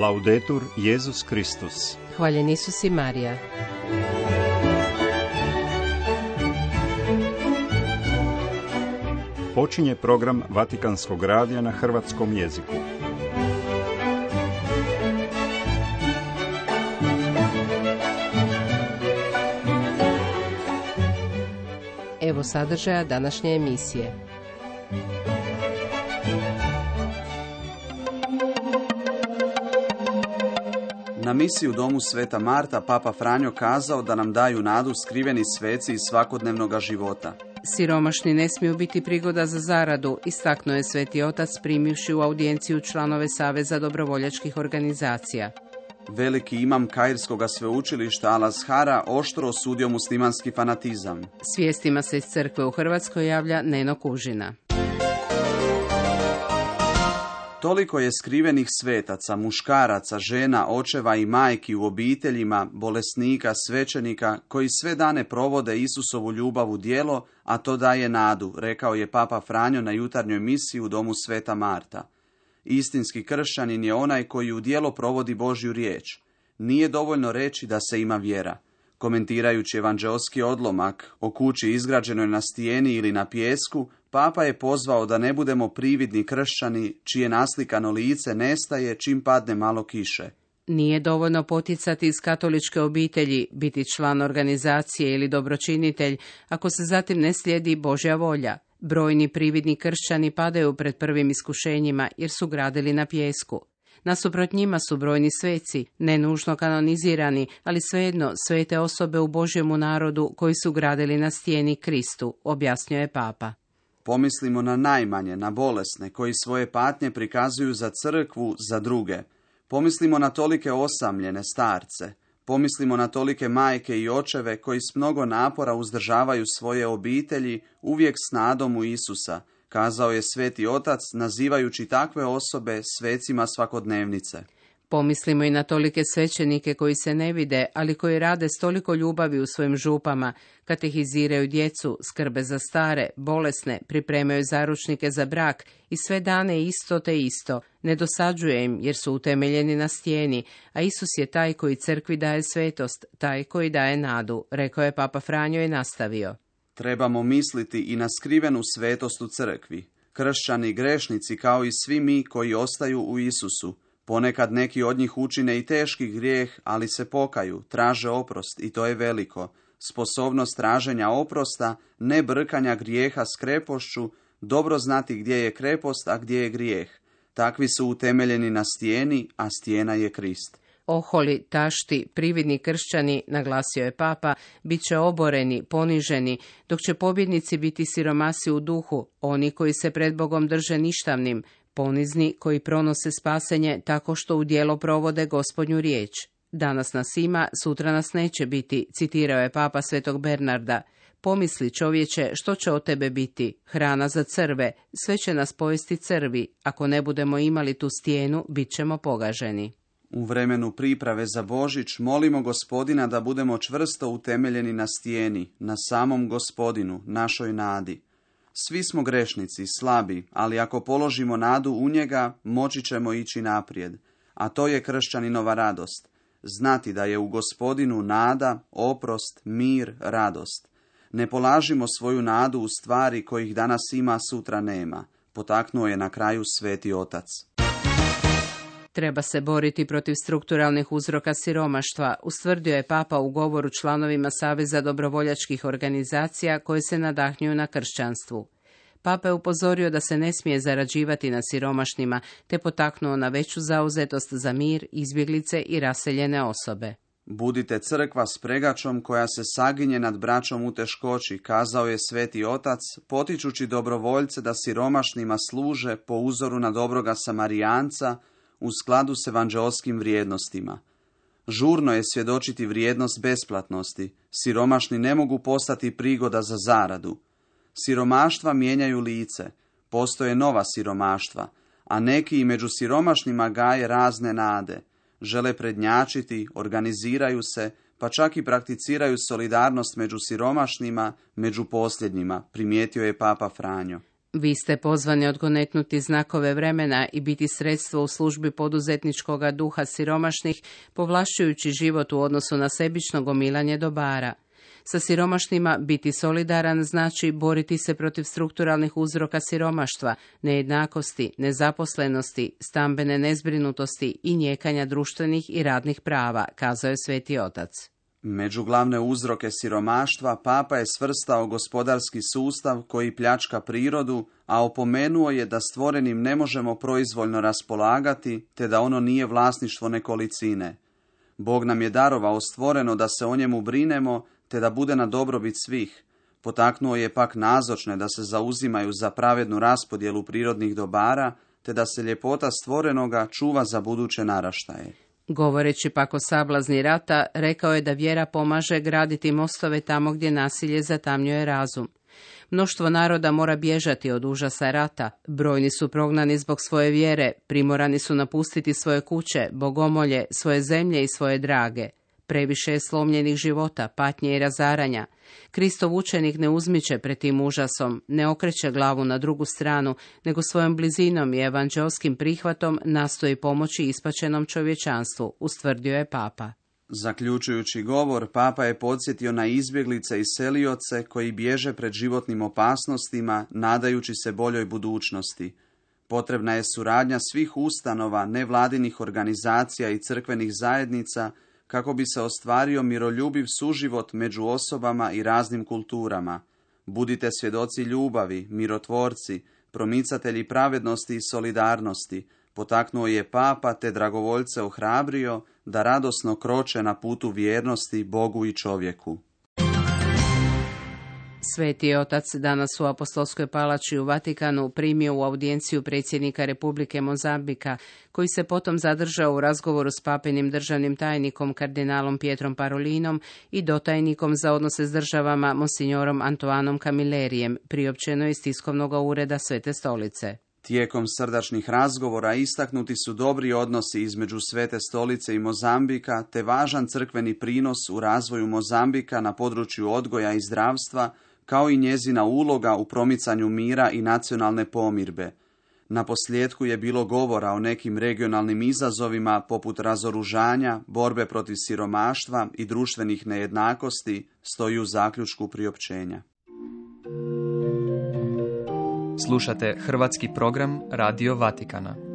Laudetur Jesus Kristus. Hvaljen Isus i Marija. Počinje program Vatikanskog radija na hrvatskom jeziku. Evo sadržaja današnje emisije. Na misiji u domu Sveta Marta Papa Franjo kazao da nam daju nadu skriveni sveci iz svakodnevnog života. Siromašni ne smiju biti prigoda za zaradu, istaknuo je Sveti Otac primivši u audijenciju članove Saveza dobrovoljačkih organizacija. Veliki imam Kairskog sveučilišta Al-Azhara oštro osudio muslimanski fanatizam. S vijestima se iz crkve u Hrvatskoj javlja Neno Kužina. Toliko je skrivenih svetaca, muškaraca, žena, očeva i majki u obiteljima, bolesnika, svećenika, koji sve dane provode Isusovu ljubav u djelo, a to daje nadu, rekao je Papa Franjo na jutarnjoj misiji u domu Sveta Marta. Istinski kršćanin je onaj koji u djelo provodi Božju riječ. Nije dovoljno reći da se ima vjera. Komentirajući evanđeoski odlomak o kući izgrađenoj na stijeni ili na pijesku, Papa je pozvao da ne budemo prividni kršćani čije naslikano lice nestaje čim padne malo kiše. Nije dovoljno poticati iz katoličke obitelji, biti član organizacije ili dobročinitelj, ako se zatim ne slijedi Božja volja. Brojni prividni kršćani padaju pred prvim iskušenjima jer su gradili na pijesku. Nasuprot njima su brojni sveci, ne nužno kanonizirani, ali svejedno svete osobe u Božjemu narodu koji su gradili na stijeni Kristu, objasnio je Papa. Pomislimo na najmanje, na bolesne, koji svoje patnje prikazuju za crkvu, za druge. Pomislimo na tolike osamljene starce. Pomislimo na tolike majke i očeve koji s mnogo napora uzdržavaju svoje obitelji, uvijek s nadom u Isusa, kazao je Sveti Otac, nazivajući takve osobe svecima svakodnevnice. Pomislimo i na tolike svećenike koji se ne vide, ali koji rade s toliko ljubavi u svojim župama, katehiziraju djecu, skrbe za stare, bolesne, pripremaju zaručnike za brak i sve dane isto te isto. Ne dosađuje im jer su utemeljeni na stijeni, a Isus je taj koji crkvi daje svetost, taj koji daje nadu, rekao je Papa Franjo i nastavio. Trebamo misliti i na skrivenu svetost u crkvi. Kršćani grešnici kao i svi mi koji ostaju u Isusu. Ponekad neki od njih učine i teški grijeh, ali se pokaju, traže oprost i to je veliko. Sposobnost traženja oprosta, ne brkanja grijeha s krepošću, dobro znati gdje je krepost, a gdje je grijeh. Takvi su utemeljeni na stijeni, a stijena je Krist. Oholi, tašti, prividni kršćani, naglasio je Papa, bit će oboreni, poniženi, dok će pobjednici biti siromasi u duhu, oni koji se pred Bogom drže ništavnim, ponizni koji pronose spasenje tako što u djelo provode Gospodnju riječ. Danas nas ima, sutra nas neće biti, citirao je Papa Svetog Bernarda. Pomisli čovječe što će od tebe biti, hrana za crve, sve će nas pojesti crvi, ako ne budemo imali tu stijenu, bit ćemo pogaženi. U vremenu priprave za Božić molimo Gospodina da budemo čvrsto utemeljeni na stijeni, na samom Gospodinu, našoj nadi. Svi smo grešnici, slabi, ali ako položimo nadu u njega, moći ćemo ići naprijed. A to je kršćaninova radost. Znati da je u Gospodinu nada, oprost, mir, radost. Ne polažimo svoju nadu u stvari kojih danas ima, sutra nema. Potaknuo je na kraju Sveti Otac. Treba se boriti protiv strukturalnih uzroka siromaštva, ustvrdio je Papa u govoru članovima Saveza dobrovoljačkih organizacija koje se nadahnjuju na kršćanstvu. Papa je upozorio da se ne smije zarađivati na siromašnima, te potaknuo na veću zauzetost za mir, izbjeglice i raseljene osobe. Budite crkva s pregačom koja se saginje nad braćom u teškoći, kazao je Sveti Otac, potičući dobrovoljce da siromašnima služe po uzoru na dobroga Samarijanca, u skladu s evanđeoskim vrijednostima. Žurno je svjedočiti vrijednost besplatnosti. Siromašni ne mogu postati prigoda za zaradu. Siromaštva mijenjaju lice. Postoje nova siromaštva, a neki i među siromašnima gaje razne nade. Žele prednjačiti, organiziraju se, pa čak i prakticiraju solidarnost među siromašnima, među posljednjima, primijetio je Papa Franjo. Vi ste pozvani odgonetnuti znakove vremena i biti sredstvo u službi poduzetničkoga duha siromašnih, povlašćujući život u odnosu na sebično gomilanje dobara. Sa siromašnima biti solidaran znači boriti se protiv strukturalnih uzroka siromaštva, nejednakosti, nezaposlenosti, stambene nezbrinutosti i njekanja društvenih i radnih prava, kazao je Sveti Otac. Među glavne uzroke siromaštva Papa je svrstao gospodarski sustav koji pljačka prirodu, a opomenuo je da stvorenim ne možemo proizvoljno raspolagati, te da ono nije vlasništvo nekolicine. Bog nam je darovao stvoreno da se o njemu brinemo, te da bude na dobrobit svih. Potaknuo je pak nazočne da se zauzimaju za pravednu raspodjelu prirodnih dobara, te da se ljepota stvorenoga čuva za buduće naraštaje. Govoreći pak o sablazni rata, rekao je da vjera pomaže graditi mostove tamo gdje nasilje zatamnjuje razum. Mnoštvo naroda mora bježati od užasa rata, brojni su prognani zbog svoje vjere, primorani su napustiti svoje kuće, bogomolje, svoje zemlje i svoje drage. Previše je slomljenih života, patnje i razaranja. Kristov učenik ne uzmiče pred tim užasom, ne okreće glavu na drugu stranu, nego svojom blizinom i evanđelskim prihvatom nastoji pomoći ispaćenom čovječanstvu, ustvrdio je Papa. Zaključujući govor, Papa je podsjetio na izbjeglice i selioce koji bježe pred životnim opasnostima, nadajući se boljoj budućnosti. Potrebna je suradnja svih ustanova, nevladinih organizacija i crkvenih zajednica, kako bi se ostvario miroljubiv suživot među osobama i raznim kulturama. Budite svjedoci ljubavi, mirotvorci, promicatelji pravednosti i solidarnosti, potaknuo je Papa te dragovoljce ohrabrio da radosno kroče na putu vjernosti Bogu i čovjeku. Sveti Otac danas u Apostolskoj palači u Vatikanu primio u audijenciju predsjednika Republike Mozambika, koji se potom zadržao u razgovoru s papinim državnim tajnikom kardinalom Pietrom Parolinom i dotajnikom za odnose s državama monsignorom Antoanom Camillerijem, priopćeno iz tiskovnog ureda Svete stolice. Tijekom srdačnih razgovora istaknuti su dobri odnosi između Svete stolice i Mozambika, te važan crkveni prinos u razvoju Mozambika na području odgoja i zdravstva, kao i njezina uloga u promicanju mira i nacionalne pomirbe. Naposljetku je bilo govora o nekim regionalnim izazovima poput razoružanja, borbe protiv siromaštva i društvenih nejednakosti, stoji u zaključku priopćenja. Slušate hrvatski program Radio Vatikana.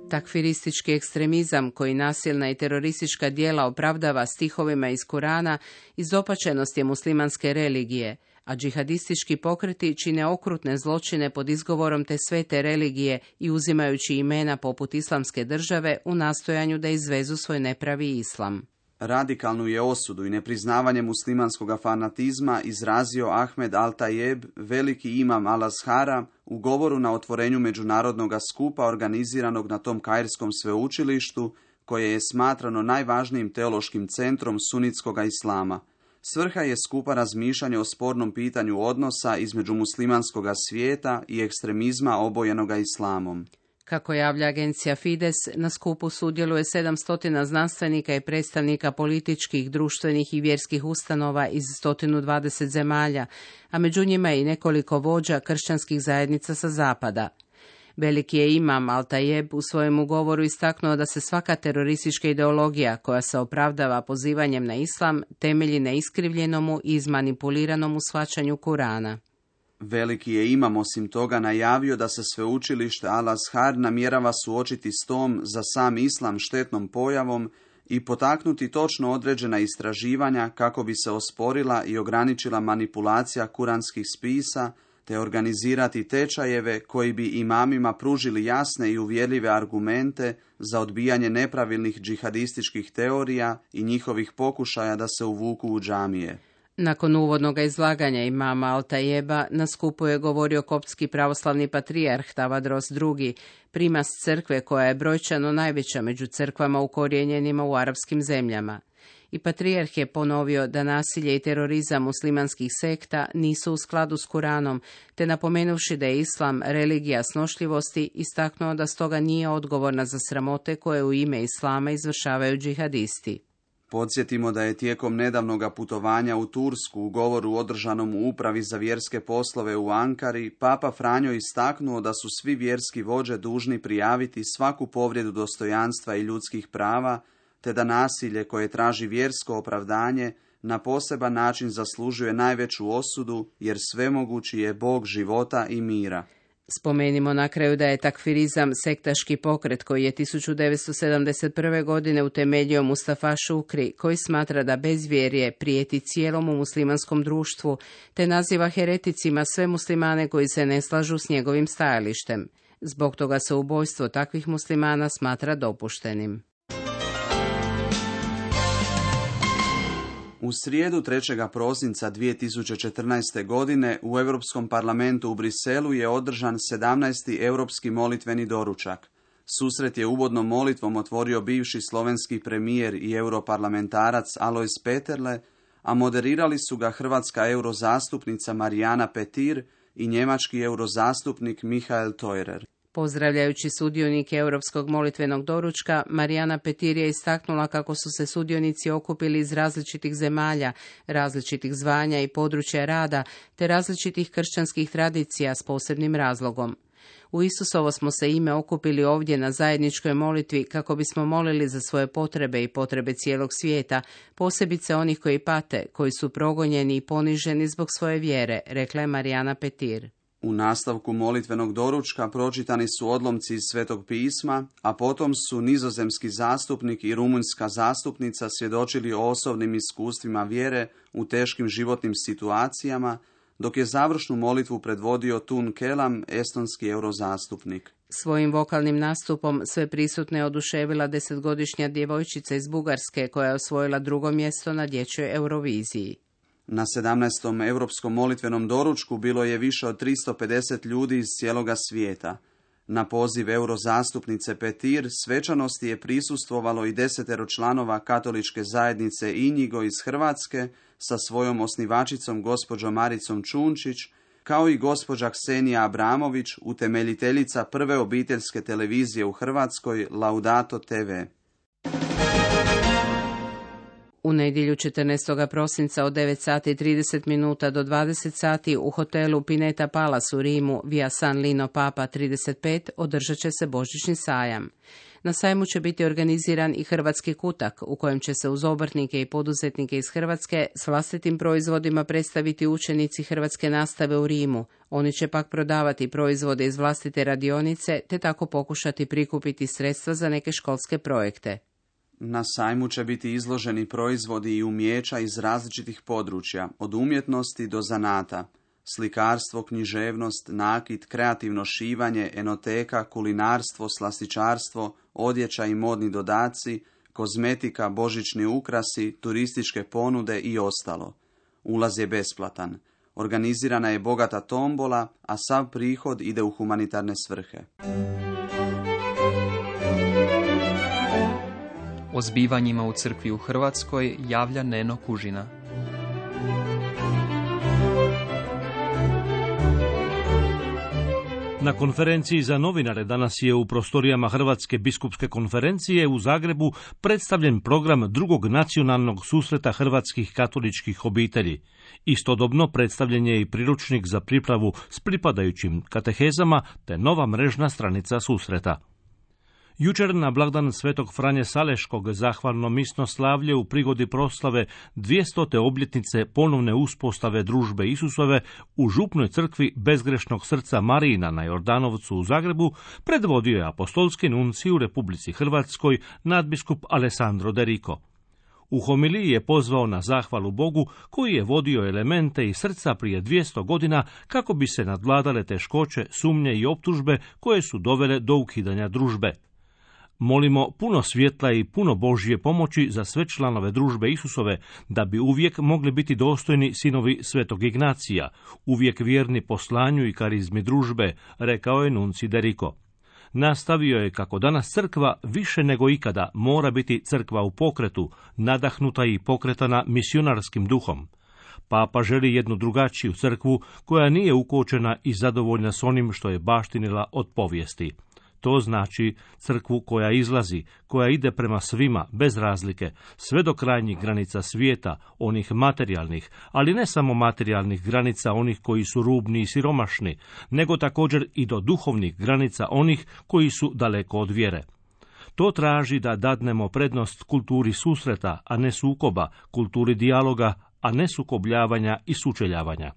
Takfiristički ekstremizam koji nasilna i teroristička djela opravdava stihovima iz Kurana izopačenost je muslimanske religije, a džihadistički pokreti čine okrutne zločine pod izgovorom te svete religije i uzimajući imena poput islamske države u nastojanju da izvezu svoj nepravi islam. Radikalnu je osudu i nepriznavanje muslimanskog fanatizma izrazio Ahmed Al-Tajeb, veliki imam Al-Azhara, u govoru na otvorenju međunarodnog skupa organiziranog na tom kairskom sveučilištu, koje je smatrano najvažnijim teološkim centrom sunitskog islama. Svrha je skupa razmišljanje o spornom pitanju odnosa između muslimanskog svijeta i ekstremizma obojenoga islamom. Kako javlja agencija Fides, na skupu sudjeluje 700 znanstvenika i predstavnika političkih, društvenih i vjerskih ustanova iz 120 zemalja, a među njima i nekoliko vođa kršćanskih zajednica sa zapada. Veliki je imam Al-Tajeb u svojem govoru istaknuo da se svaka teroristička ideologija koja se opravdava pozivanjem na islam temelji na iskrivljenomu i izmanipuliranom shvaćanju Kurana. Veliki je imam osim toga najavio da se sveučilište Al-Azhar namjerava suočiti s tom za sam islam štetnom pojavom i potaknuti točno određena istraživanja kako bi se osporila i ograničila manipulacija kuranskih spisa, te organizirati tečajeve koji bi imamima pružili jasne i uvjerljive argumente za odbijanje nepravilnih džihadističkih teorija i njihovih pokušaja da se uvuku u džamije. Nakon uvodnog izlaganja imama Al-Tajeba na skupu je govorio koptski pravoslavni patrijarh Tavadros II, primas crkve koja je brojčano najveća među crkvama ukorijenjenima u arapskim zemljama. I patrijarh je ponovio da nasilje i terorizam muslimanskih sekta nisu u skladu s Kuranom, te napomenuvši da je islam religija snošljivosti, istaknuo da stoga nije odgovorna za sramote koje u ime islama izvršavaju džihadisti. Podsjetimo da je tijekom nedavnoga putovanja u Tursku u govoru održanom u Upravi za vjerske poslove u Ankari, Papa Franjo istaknuo da su svi vjerski vođe dužni prijaviti svaku povredu dostojanstva i ljudskih prava, te da nasilje koje traži vjersko opravdanje na poseban način zaslužuje najveću osudu, jer svemogući je Bog života i mira. Spomenimo na kraju da je takfirizam sektaški pokret koji je 1971. godine utemeljio Mustafa Šukri, koji smatra da bezvjerje prijeti cijelom muslimanskom društvu, te naziva hereticima sve muslimane koji se ne slažu s njegovim stajalištem. Zbog toga se ubojstvo takvih muslimana smatra dopuštenim. U srijedu 3. prosinca 2014. godine u Europskom parlamentu u Briselu je održan 17. europski molitveni doručak. Susret je uvodnom molitvom otvorio bivši slovenski premijer i europarlamentarac Alojz Peterle, a moderirali su ga hrvatska eurozastupnica Marijana Petir i njemački eurozastupnik Michael Theurer. Pozdravljajući sudionike Europskog molitvenog doručka, Marijana Petir je istaknula kako su se sudionici okupili iz različitih zemalja, različitih zvanja i područja rada, te različitih kršćanskih tradicija s posebnim razlogom. U Isusovo smo se ime okupili ovdje na zajedničkoj molitvi kako bismo molili za svoje potrebe i potrebe cijelog svijeta, posebice onih koji pate, koji su progonjeni i poniženi zbog svoje vjere, rekla je Marijana Petir. U nastavku molitvenog doručka pročitani su odlomci iz Svetog pisma, a potom su nizozemski zastupnik i rumunjska zastupnica svjedočili o osobnim iskustvima vjere u teškim životnim situacijama, dok je završnu molitvu predvodio Tun Kelam, estonski eurozastupnik. Svojim vokalnim nastupom sve prisutne oduševila 10-godišnja djevojčica iz Bugarske koja je osvojila 2. mjesto na dječjoj Euroviziji. Na 17. europskom molitvenom doručku bilo je više od 350 ljudi iz cijeloga svijeta. Na poziv eurozastupnice Petir svečanosti je prisustvovalo i 10 članova katoličke zajednice Injigo iz Hrvatske sa svojom osnivačicom gospođom Maricom Čunčić, kao i gospođa Ksenija Abramović, utemeljiteljica prve obiteljske televizije u Hrvatskoj Laudato TV. U nedjelju 14. prosinca od 9 sati 30 minuta do 20 sati u hotelu Pineta Palace u Rimu via San Lino Papa 35 održat će se božićni sajam. Na sajmu će biti organiziran i hrvatski kutak u kojem će se uz obrtnike i poduzetnike iz Hrvatske s vlastitim proizvodima predstaviti učenici hrvatske nastave u Rimu. Oni će pak prodavati proizvode iz vlastite radionice te tako pokušati prikupiti sredstva za neke školske projekte. Na sajmu će biti izloženi proizvodi i umijeća iz različitih područja, od umjetnosti do zanata. Slikarstvo, književnost, nakit, kreativno šivanje, enoteka, kulinarstvo, slastičarstvo, odjeća i modni dodaci, kozmetika, božićni ukrasi, turističke ponude i ostalo. Ulaz je besplatan. Organizirana je bogata tombola, a sav prihod ide u humanitarne svrhe. O zbivanjima u crkvi u Hrvatskoj javlja Neno Kužina. Na konferenciji za novinare danas je u prostorijama Hrvatske biskupske konferencije u Zagrebu predstavljen program drugog nacionalnog susreta hrvatskih katoličkih obitelji. Istodobno predstavljen je i priručnik za pripravu s pripadajućim katehezama te nova mrežna stranica susreta. Jučer na blagdan Svetog Franje Saleškog zahvalno misno slavlje u prigodi proslave 200. obljetnice ponovne uspostave družbe Isusove u župnoj crkvi Bezgrešnog srca Marijina na Jordanovcu u Zagrebu predvodio je apostolski nuncij u Republici Hrvatskoj nadbiskup Alessandro De Rico. U homiliji je pozvao na zahvalu Bogu koji je vodio elemente iz srca prije 200 godina kako bi se nadvladale teškoće, sumnje i optužbe koje su dovele do ukidanja družbe. Molimo puno svjetla i puno Božje pomoći za sve članove družbe Isusove, da bi uvijek mogli biti dostojni sinovi Svetog Ignacija, uvijek vjerni poslanju i karizmi družbe, rekao je nuncij De Rico. Nastavio je kako danas crkva više nego ikada mora biti crkva u pokretu, nadahnuta i pokretana misionarskim duhom. Papa želi jednu drugačiju crkvu koja nije ukočena i zadovoljna s onim što je baštinila od povijesti. To znači crkvu koja izlazi, koja ide prema svima, bez razlike, sve do krajnjih granica svijeta, onih materijalnih, ali ne samo materijalnih granica onih koji su rubni i siromašni, nego također i do duhovnih granica onih koji su daleko od vjere. To traži da dadnemo prednost kulturi susreta, a ne sukoba, kulturi dijaloga, a ne sukobljavanja i sučeljavanja.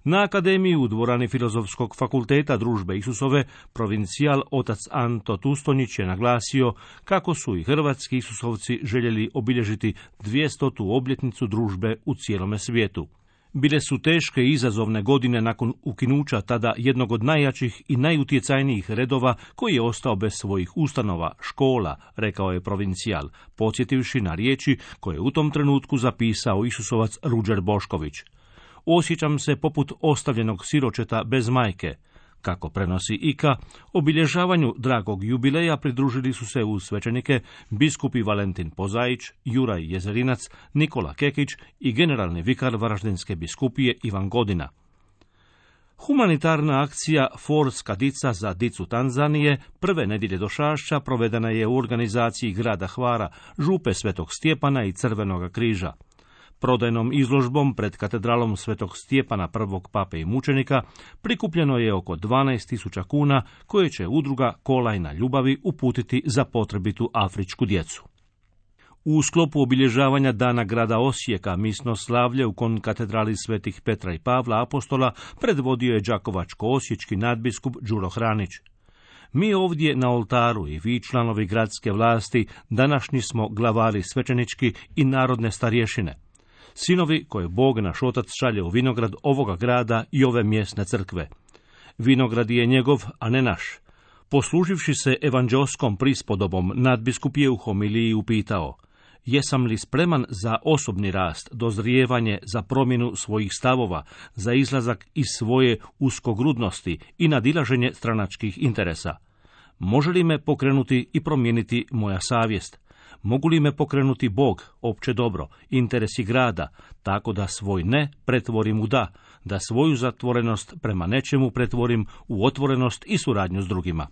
Na akademiji u dvorani Filozofskog fakulteta Družbe Isusove provincijal otac Anto Tustonjić je naglasio kako su i hrvatski Isusovci željeli obilježiti 200. obljetnicu družbe u cijelome svijetu. Bile su teške i izazovne godine nakon ukinuća tada jednog od najjačih i najutjecajnijih redova koji je ostao bez svojih ustanova, škola, rekao je provincijal, podsjetivši na riječi koje je u tom trenutku zapisao Isusovac Ruđer Bošković. Osjećam se poput ostavljenog siročeta bez majke. Kako prenosi Ika, obilježavanju dragog jubileja pridružili su se uz svećenike biskupi Valentin Pozaić, Juraj Jezerinac, Nikola Kekić i generalni vikar Varaždinske biskupije Ivan Godina. Humanitarna akcija Forska dica za dicu Tanzanije prve nedjelje do Šašća provedena je u organizaciji grada Hvara, župe Svetog Stjepana i Crvenoga križa. Prodajnom izložbom pred katedralom Svetog Stjepana prvog pape i mučenika prikupljeno je oko 12.000 kuna koje će udruga Kolajna ljubavi uputiti za potrebitu afričku djecu. U sklopu obilježavanja dana grada Osijeka misno slavlje u konkatedrali Svetih Petra i Pavla apostola predvodio je đakovačko-osječki nadbiskup Đuro Hranić. Mi ovdje na oltaru i vi članovi gradske vlasti današnji smo glavari svećenički i narodne starješine. Sinovi koje Bog naš otac šalje u vinograd ovoga grada i ove mjesne crkve. Vinograd je njegov, a ne naš. Posluživši se evanđelskom prispodobom, nadbiskup je u homiliji upitao: jesam li spreman za osobni rast, dozrijevanje, za promjenu svojih stavova, za izlazak iz svoje uskogrudnosti i nadilaženje stranačkih interesa? Može li me pokrenuti i promijeniti moja savjest? Mogu li me pokrenuti Bog, opće dobro, interesi grada, tako da svoj ne pretvorim u da svoju zatvorenost prema nečemu pretvorim u otvorenost i suradnju s drugima?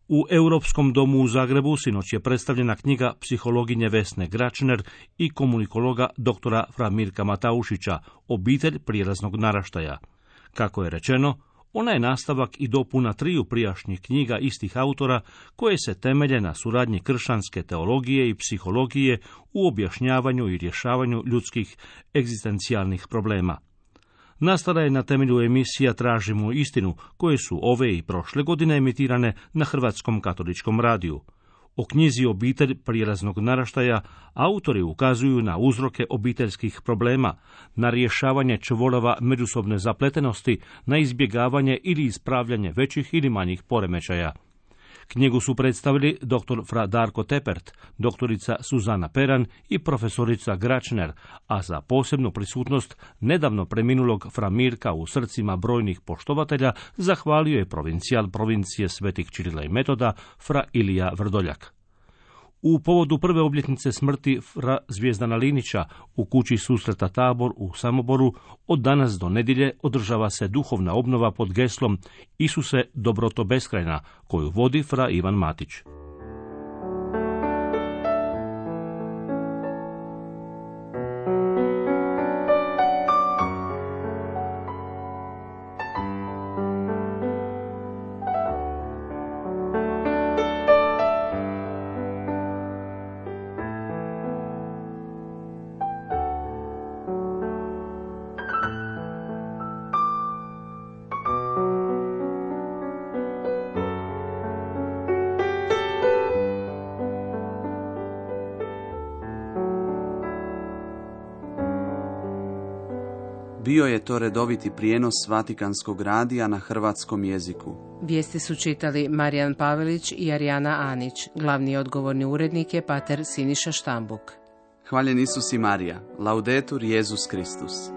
U Europskom domu u Zagrebu sinoć je predstavljena knjiga psihologinje Vesne Gračner i komunikologa doktora Fra Mirka Mataušića, Obitelj prijelaznog naraštaja. Kako je rečeno, ona je nastavak i dopuna 3 prijašnjih knjiga istih autora koje se temelje na suradnji kršćanske teologije i psihologije u objašnjavanju i rješavanju ljudskih egzistencijalnih problema. Nastala je na temelju emisija Tražimo istinu, koje su ove i prošle godine emitirane na Hrvatskom katoličkom radiju. O knjizi Obitelj prijelaznog naraštaja autori ukazuju na uzroke obiteljskih problema, na rješavanje čvorova međusobne zapletenosti, na izbjegavanje ili ispravljanje većih ili manjih poremećaja. Knjigu su predstavili dr. Fra Darko Tepert, doktorica Suzana Peran i profesorica Gračner, a za posebnu prisutnost nedavno preminulog Fra Mirka u srcima brojnih poštovatelja zahvalio je provincijal provincije Svetih Čirila i Metoda Fra Ilija Vrdoljak. U povodu prve obljetnice smrti Fra Zvijezdana Linića u kući susreta Tabor u Samoboru od danas do nedjelje održava se duhovna obnova pod geslom Isuse, dobroto beskrajna, koju vodi Fra Ivan Matić. Bio je to redoviti prijenos Vatikanskog radija na hrvatskom jeziku. Vijesti su čitali Marijan Pavelić i Arijana Anić. Glavni odgovorni urednik je pater Siniša Štambuk. Hvaljen Isus i Marija. Laudetur Jesus Kristus.